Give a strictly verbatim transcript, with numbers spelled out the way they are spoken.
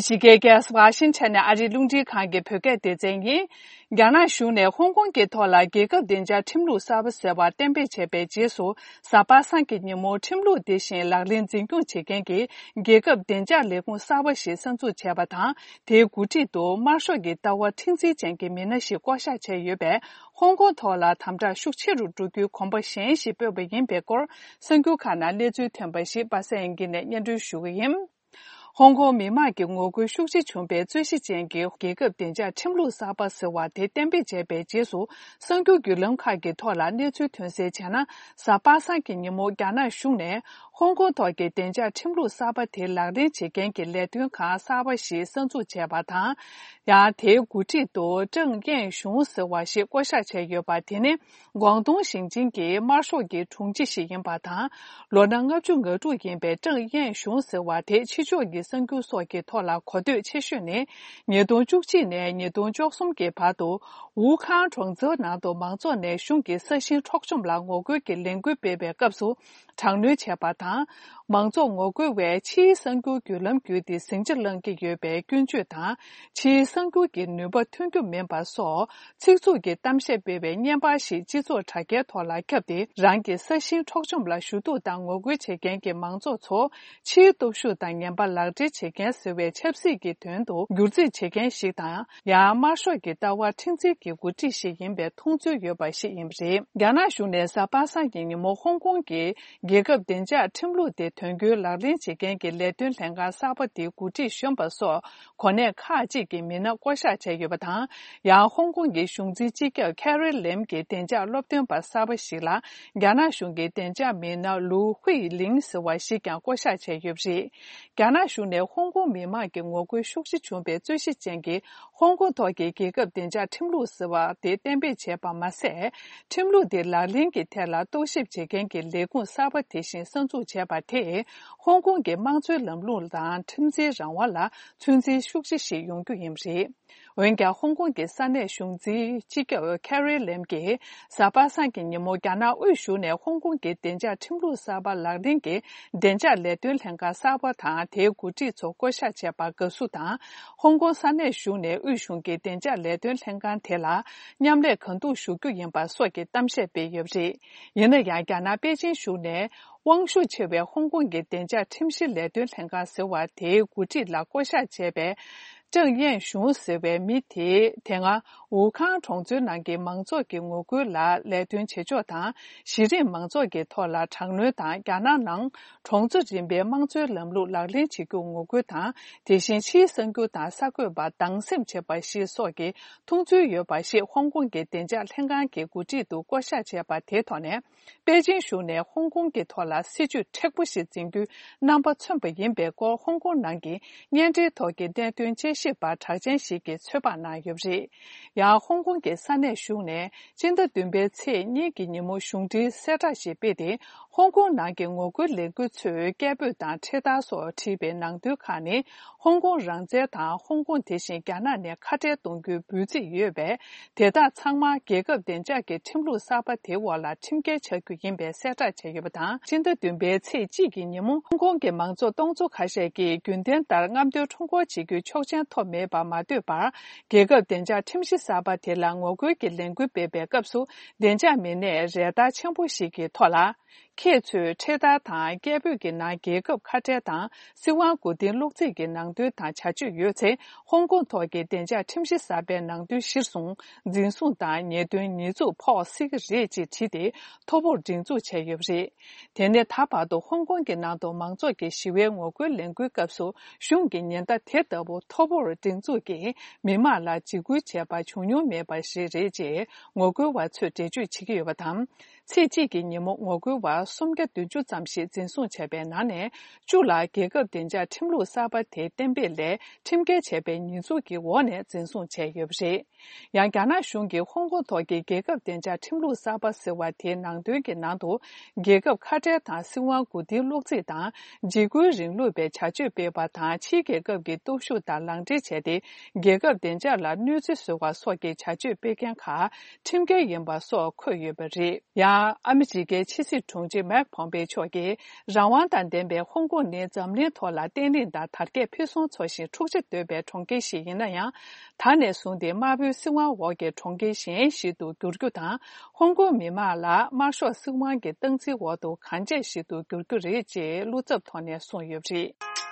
ཕྱི་རྒྱལ་རྒྱལ་ས་ཝ་ཤིང་ཊོན་ནས་ཨ་རིའི་རླུང་འཕྲིན་ཁང་གི་བོད་སྐད་སྡེ་ཚན་ཡིན། རྒྱ་ནག་གཞུང་ནས་ཧོང་ཀོང་གི་ཐོག་ལ་རྒྱལ་ཁབ་བདེ་འཇགས་ཁྲིམས་ལུགས་གསར་པ་ཟེར་བ་གཏན་འབེབས་བྱས་པའི་རྗེས་སུ། གཟའ་པ་སངས་ཀྱི་ཉིན་མོ་ཁྲིམས་ལུགས་དེ་བཞིན་ལག་ལེན་འཛིན་སྐྱོང་བྱེད་མཁན་གྱི་རྒྱལ་ཁབ་བདེ་འཇགས་ལས་ཁུངས་གསར་པ་ཞིག་གསར་འཛུགས་བྱས་པ་དང་། དེའི་འགོ་ཁྲིད་དུ་དམར་ཤོག་གི་ལྟ་བ་མཁྲེགས་འཛིན་ཅན་གྱི་མི་སྣ་ཞིག་བསྐོ་བཞག་བྱས་ཡོད་པས། ཧོང་ཀོང་ཐོག་ལ་དམ་དྲག་ཤུགས་ཆེ་རུ་འགྲོ་རྒྱུའི་གོམ་པ་གཞན་ཞིག་སྤོས་པ་ཡིན་པའི་སྐོར། གསར་འགྱུར་ཁག་ནང་གནས་ཚུལ་ཐོན་པ་ཞིག་པ་སངས་དབྱངས་སྐྱིད་ནས་སྙན་སྒྲོན་ཞུ་གི་ཡིན། ཧོང་ཀོང་མི་མང་གི་ངོ་རྒོལ་ཤུགས་ཆེ་བྱུང་བའི་རྩོད་གཞི་ཅན་གྱི་རྒྱལ་ཁབ་བདེ་འཇགས་ཁྲིམས་ལུགས་གསར་པ་ཟེར་བ་དེ་གཏན་འབེབས་བྱས་པའི་རྗེས་སུ། གསར་འགྱུར་བརྒྱུད་ལམ་ཁག་གི་ཐོག་ལ་གནས་ཚུལ་ཐོན་གསལ་བྱས་ན། གཟའ་པ་སངས་ཀྱི་ཉིན་མོ་རྒྱ་ནག་གཞུང་ནས་ཧོང་ཀོང་ཐོག་གི་བདེ་འཇགས་ཁྲིམས་ལུགས་གསར་པ་དེ་ལག་ལེན་བྱེད་མཁན་གྱི་ལས་དོན་ཁང་གསར་པ་ཞིག་གསར་འཛུགས་བྱས་པ་དང་། ཡང་དེའི་འགོ་ཁྲིད་དུ་ཀྲང་ཡན་ཞུང་ཟེར་བ་ཞིག་བསྐོ་བཞག་བྱས་ཡོད་པ་དེ་ནི། ཀོང་ཏུང་ཞིང་ཆེན་གྱི་དམར་ཤོག་གི་དྲུང་ཆེ་ཞིག་ཡིན་པ་དང་། ལོ་ན་ལྔ་བཅུ་ང་དྲུག་ཡིན་པའི་ཀྲང་ཡན་ཞུང་ཟེར་བ་དེ་ཕྱི་ཕྱོགས་ཀྱི་གསར་འགྱུར་སོགས་ཀྱི་ཐོག་ལ་གོ་ཐོས་ཆེ་ཤོས་ནི། ཉིས་སྟོང་བཅུ་གཅིག་ནས་ཉིས་སྟོང་བཅུ་གསུམ་གྱི་བར་དུ། ཝུ་ཁང་གྲོང་ཚོའི་ནང་དུ་མང་ཚོགས་ནས་གཞུང་གི་ས་ཞིང་འཕྲོག་བཅོམ་ལ་ངོ་རྒོལ་གྱི་ལས་འགུལ་སྤེལ་བའི་སྐབས་སུ། དྲག་གནོན་བྱས་པ་དང་། མང་ཚོགས་ངོ་རྒོལ་བས་ཕྱིའི་གསར་འགྱུར་བརྒྱུད་ལམ་བརྒྱུད་དེ་ཟིང་ཆ་སློང་གི་ཡོད་པའི་སྐྱོན་བརྗོད་དང་། ཕྱིའི་གསར་འགྱུར་གྱི་ནུས་པ་ཐོན་རྒྱུ་མིན་པ་སོགས། ཚིག་རྩུབ་ཀྱི་གཏམ་བཤད་སྤེལ་བའི་བརྙན་པར་ཞིག་སྤྱི་ཚོགས་དྲ་རྒྱའི་ཐོག་ལ་ཁྱབ་སྟེ། རང་གི་ས་ཞིང་འཕྲོག་བཅོམ་ལ་ཞུ་གཏུག་དང་ངོ་རྒོལ་བྱེད་མཁན་གྱི་མང་ཚོགས་ཚོ། ཕྱིའི་སྟོབས་ཤུགས་དང་ངན་པ་ལག་སྦྲེལ་བྱེད་མཁན་ཟེར་བའི་ཆབ་སྲིད་ཀྱི་དོན་དུ་བསྒྱུར་རྩིས་བྱེད་མཁན་ཞིག་དང་། ཡང་དམར་ཤོག་གི་ལྟ་བ་མཁྲེགས་འཛིན་གྱི་འགོ་ཁྲིད་ཞིག་ཡིན་པའི་མཐོང་ཚུལ་ཡོད་པ་ཞིག་ཡིན་པ་རེད། རྒྱ་ནག་གཞུང་ནས་གཟའ་པ་སངས་ཀྱི་ཉིན་མོ་ཧོང་ཀོང་གི་རྒྱལ་ཁབ་བདེ་འཇགས་ཁྲིམས་ལུགས་དེ་དོན་འཁྱོལ་ལག་ལེན་བྱེད་མཁན་གྱི་ལས་དོན་ལྷན་ཁང་གསར་པ་དེའི་འགོ་ཁྲིད་གཞོན་པ་སོགས་གོ་གནས་ཁག་ཅིག་གི་མི་སྣ་བསྐོ་གཞག་བྱས་ཡོད་པ་དང་། ཡང་ཧོང་ཀོང་གི་གཞུང་འཛིན་སྤྱི་ཁྱབ་ཁེ་རི་ལེམ་གྱི་བདེ་འཇགས་སློབ་སྟོན་པ་གསར་པ་ཞིག་ལ། རྒྱ་ནག་གཞུང་གི་བདེ་འཇགས་མི་སྣ་ལུའུ་ཧུའེ་ལིང་ཟེར་བ་ཞིག་ཀྱང་བསྐོ་གཞག་བྱས་ཡོད་པ་རེད། རྒྱ་ནག་གཞུང་ནས་ཧོང་ཀོང་མི་མང་གི་ངོ་རྒོལ་ཤུགས་ཆེ་བྱུང་བའི་རྩོད་གཞི་ཅན་གྱི་ཧོང་ཀོང་ཐོག་གི་རྒྱལ་ཁབ་བདེ་འཇགས་ཁྲིམས་ལུགས་ཟེར་བ་དེ་གཏན་འབེབས་བྱས་པ་མ་ཟད། ཁྲིམས་ལུགས་དེ་ལག་ལེན་གྱི་ཐད་ལ་རྟོག་ཞིབ་བྱེད་མཁན་གྱི་ལས་ཁུངས་གསར་པ་དེ་བཞིན་གསར་འཛུགས་བྱས་པ་དེས། ཧོང་ཀོང་གི་དམངས་གཙོའི་ལམ་ལུགས་དང་ཁྲིམས་འཛིན་རང་དབང་ལ་ཚོད་འཛིན་ཤུགས་ཆེ་ཞིག་ཡོང་རྒྱུ་ཡིན་པ་རེད། འོན་ཀྱང་། ཧོང་ཀོང་གི་ས་གནས་གཞུང་འཛིན་སྤྱི་ཁྱབ་ཁེ་རི་ལེམ་གྱིས། གཟའ་པ་སངས་ཀྱི་ཉིན་མོ། རྒྱ་ནག་དབུས་གཞུང་ནས་ཧོང་ཀོང་གི་བདེ་འཇགས་ཁྲིམས་ལུགས་གསར་པ་ལག་ལེན་གྱི་བདེ་འཇགས་ལས་དོན་ལྷན་ཁང་གསར་པ་དང་། དེའི་འགོ་ཁྲིད་ཚོ་བསྐོ་གཞག་བྱས་པར་དགའ་བསུ་དང་། ཧོང་ཀོང་ས་གནས་གཞུང་ནས་དབུས་གཞུང་གི་བདེ་འཇགས་ལས་དོན་ལྷན་ཁང་དེ་ལ་མཉམ་ལས་གང་ཐུབ་ཞུ་རྒྱུ་ཡིན་པ་སོགས་ཀྱི་གཏམ་བཤད་སྤེལ་ཡོད་པ་རེད། ཡིན་ན་ཡང་། རྒྱ་ནག་པེ་ཅིན་གཞུང་ནས། དབང་ཤུགས་ཆེ་བའི་ཧོང་ཀོང་གི་བདེ་འཇགས་ཁྲིམས་གཞི་ལས་དོན་ལྷན་ཁང་ཟེར་བ་དེའི་འགོ་ཁྲིད་ལ་བསྐོ་གཞག་བྱས་པའི། ཀྲང་ཡན་ཞུང་ཟེར་བའི་མི་དེས། དེ་སྔ་ཝུ་ཁང་གྲོང་ཚོའི་ནང་གི་མང་ཚོགས་ཀྱི་ངོ་རྒོལ་ལ་ལས་དོན་བྱེད་ཕྱོགས་དང་། གཞི་རིམ་མང་ཚོགས་ཀྱི་ཐོག་ལ་དྲག་གནོན་དང་། རྒྱ་ནག་ནང་གྲོང་ཚོ་རིམ་པའི་དམངས་གཙོའི་ལམ་ལུགས་ལག་ལེན་བྱེད་རྒྱུར་ངོ་རྒོལ་དང་། དེ་བཞིན་ཕྱིའི་གསར་འགྱུར་དང་གསར་འགོད་པ་སྡང་སེམས་བྱེད་པ་ཞིག་སོགས་ཀྱི་མཐོང་ཚུལ་ཡོད་པ་ཞིག་ཧོང་ཀོང་གི་བདེ་འཇགས་ལྷན་ཁང་གི་འགོ་ཁྲིད་དུ་བསྐོ་གཞག་བྱས་པ་དེའི་ཐོག་ནས། པེ་ཅིན་གཞུང་ནས་ཧོང་ཀོང་གི་ཐོག་ལ་སྲིད་ཇུས་མཁྲེགས་པོ་ཞིག་འཛིན་རྒྱུའི་རྣམ་པ་མཚོན་པ་ཡིན་པའི་སྐོར། ཧོང་ཀོང་ནང་གི་བརྙན་འཕྲིན་ཐོག་གི་བརྙན་ཐུང་དཔྱད་ཞིབ་པ་གྲགས་ཅན་ཞིག་གིས་ཚོད་དཔག་གནང་ཡོད་པ་རེད། ཡང་། ཧོང་ཀོང་གི་ས་གནས་གཞུང་ནས་སྤྱི་ཟླ་བདུན་པའི་ཚེས་གཉིས་ཀྱི་ཉིན་མོ་གཞུང་འབྲེལ་གསལ་བསྒྲགས་ཤིག་སྤེལ་ཏེ། ཧོང་ཀོང་ནང་གི་ངོ་རྒོལ་ལས་འགུལ་ཚོས་སྐད་འབོད་དང་འཕྲེད་དར་སོགས་བྲིས་པའི་ནང་དོན་ཁག་ནི། ཧོང་ཀོང་རང་བཙན་དང་། ཧོང་ཀོང་དེ་བཞིན་རྒྱ་ནག་ནས་ཁ་བྲལ་གཏོང་རྒྱུའི་འབོད་ཚིག་ཡོད་པས། དེ་དག་ཚང་མ་རྒྱལ་ཁབ་བདེ་འཇགས་ཀྱི་ཁྲིམས་ལུགས་གསར་པ་དེའི་འོག་ལ་ཁྲིམས་འགལ་ཆགས་རྒྱུ་ཡིན་པའི་གསལ་བསྒྲགས་བྱས་ཡོད་པ་དང་། སྤྱི་ཟླ་བདུན་པའི་ཚེས་གཅིག་གི་ཉིན་མོ། ཧོང་ཀོང་གི་མང་ཚོགས་སྟོང་ཚོ་ཁ་ཤས་ཀྱིས་རྒྱུན་ལྡན་ལྟར་རྔམ་སྟོན་ཁྲོམ་སྐོར་བྱེད་རྒྱུའི་ཆོག་མཆན་ཐོབ་མེད་པར་མ་ལྟོས་པར། རྒྱལ་ཁབ་བདེ་འཇགས་ཁྲིམས་གཞི་གསར་པ་དེ་ལ་ངོ་རྒོལ་གྱི་ལས་འགུལ་སྤེལ་བའི་སྐབས་སུ། བདེ་འཇགས་མི་སྣས་རེ་ལྟར་ཆེན་པོ་ཞིག་གི་ཐོག་ལ། ཁྱེད་ཚོས་འཕྲེད་དར་དང་སྐད་འབོད་ཀྱི་ནང་རྒྱལ་ཁབ་ཁ་བྲལ་དང་སྲིད་དབང་མགོ་རྟིང་སློག་རྩིས་ཀྱི་ནང་དོན་དང་བྱ་སྤྱོད་ཡོད་ཚེ། ཧོང་ཀོང་ཐོག་གི་བདེ་འཇགས་ཁྲིམས་གཞི་གསར་པའི་ནང་དོན་གཞིར་བཟུང་འཛིན་བཟུང་དང་ཉེས་དོན་ཉེས་འཛུགས་ཕོག་སྲིད་ཀྱི་རེད་ཅེས་བྲིས་ཏེ་ཐོ་ཕོག་སྒྲིག་འཛུགས་བྱས་ཡོད་པ་རེད། དེ་ནི་ད་བར་དུ་ཧོང་ཀོང་གི་ནང་དུ་མང་ཚོགས་ཀྱི་ཞི་བའི་ངོ་རྒོལ་ལས་འགུལ་སྐབས་སུ་གཞུང་གིས་ཉེན་བརྡ་དེ་ལྟ་བུ་ཐོ་ཕོག་སྒྲིག་འཛུགས་ཀྱིས་མི་མང་ལ་འཇིགས་སྐུལ་བྱས་པ་བྱུང་མྱོང་མེད་པ་ཞིག་རེད་ཅེས་ངོ་རྒོལ་བ་ཚོས་འགྲེལ་བརྗོད་བྱེད་ཀྱི་ཡོད་པ་དང་། ཚེས་གཅིག་གི་ཉིན་མོ་ངོ་རྒོལ་བ་སུམ་བརྒྱ་བདུན་ཅུ་ཙམ་ཞིག་འཛིན་བཟུང་བྱས་པའི་ནང་ནས་བཅུ་ལ་རྒྱལ་ཁབ་བདེ་འཇགས་ཁྲིམས་ལུགས་གསར་པ་དེའི་གཏན་འབེབས་ལས་ཁྲིམས་འགལ་བྱས་པའི་ཉེས་འཛུགས་ཀྱི་འོག་ནས་འཛིན་བཟུང་བྱས་ཡོད་པ་རེད། ཡང་། རྒྱ་ནག་གཞུང་གིས་ཧོང་ཀོང་ཐོག་གི་རྒྱལ་ཁབ་བདེ་འཇགས་ཁྲིམས་ལུགས་གསར་པ་ཟེར་བ་དེའི་ནང་དོན་གྱི་ནང་དུ། རྒྱལ་ཁབ་ཁ་བྲལ་དང་སྲིད་དབང་མགོ་རྟིང་སློག་རྩིས་དང་། འཇིགས་སྐུལ་རིང་ལུགས་པའི་བྱ་སྤྱོད་སྤེལ་བ་དང་། ཕྱིའི་རྒྱལ་ཁབ་ཀྱི་སྟོབས་ཤུགས་དང་ལག་འབྲེལ་བྱས་ཏེ། རྒྱལ་ཁབ་བདེ་འཇགས་ལ་གནོད་འཚེ་བཟོ་བ་སོགས་ཀྱི་བྱ་སྤྱོད་སྤེལ་མཁན་ཁག་ཁྲིམས་འགལ་ཡིན་པ་སོགས་འཁོད་ཡོད་པ་རེད། ཡང་། ཨ་མི་རི་ཀའི་ཕྱི་སྲིད་དྲུང་ཆེ་མེག་ཕོམ་པེ་མཆོག་གིས། རང་དབང་དང་ལྡན་པའི་ཧོང་ཀོང་ནི་འཛམ་གླིང་ཐོག་ལ་བརྟན་ལྷིང་དང་དར་རྒྱས་ཕུན་སུམ་ཚོགས་ཤིང་འཁྲུག་ཆ་དོད་པའི་གྲོང་ཁྱེར་ཞིག་ཡིན་ན་ཡང་། ད་ནས་བཟུང་སྟེ་དམར་པོའི་སྲིད་དབང་འོག་གི་གྲོང་ཁྱེར་གཞན་ཞིག་ཏུ་འགྱུར་རྒྱུ་དང་། ཧོང་ཀོང་མི་དམངས་ལ་དམར་ཤོག་སྲིད་དབང་གི་སྟངས་འཛིན་འོག་ཏུ་གང་ཆེ་ཞིག་ཏུ་འགྱུར་རྒྱུ་རེད་ཅེས་བློ་འཚབ་ཐོག་ནས་གསུངས་ཡོད་པ་རེད།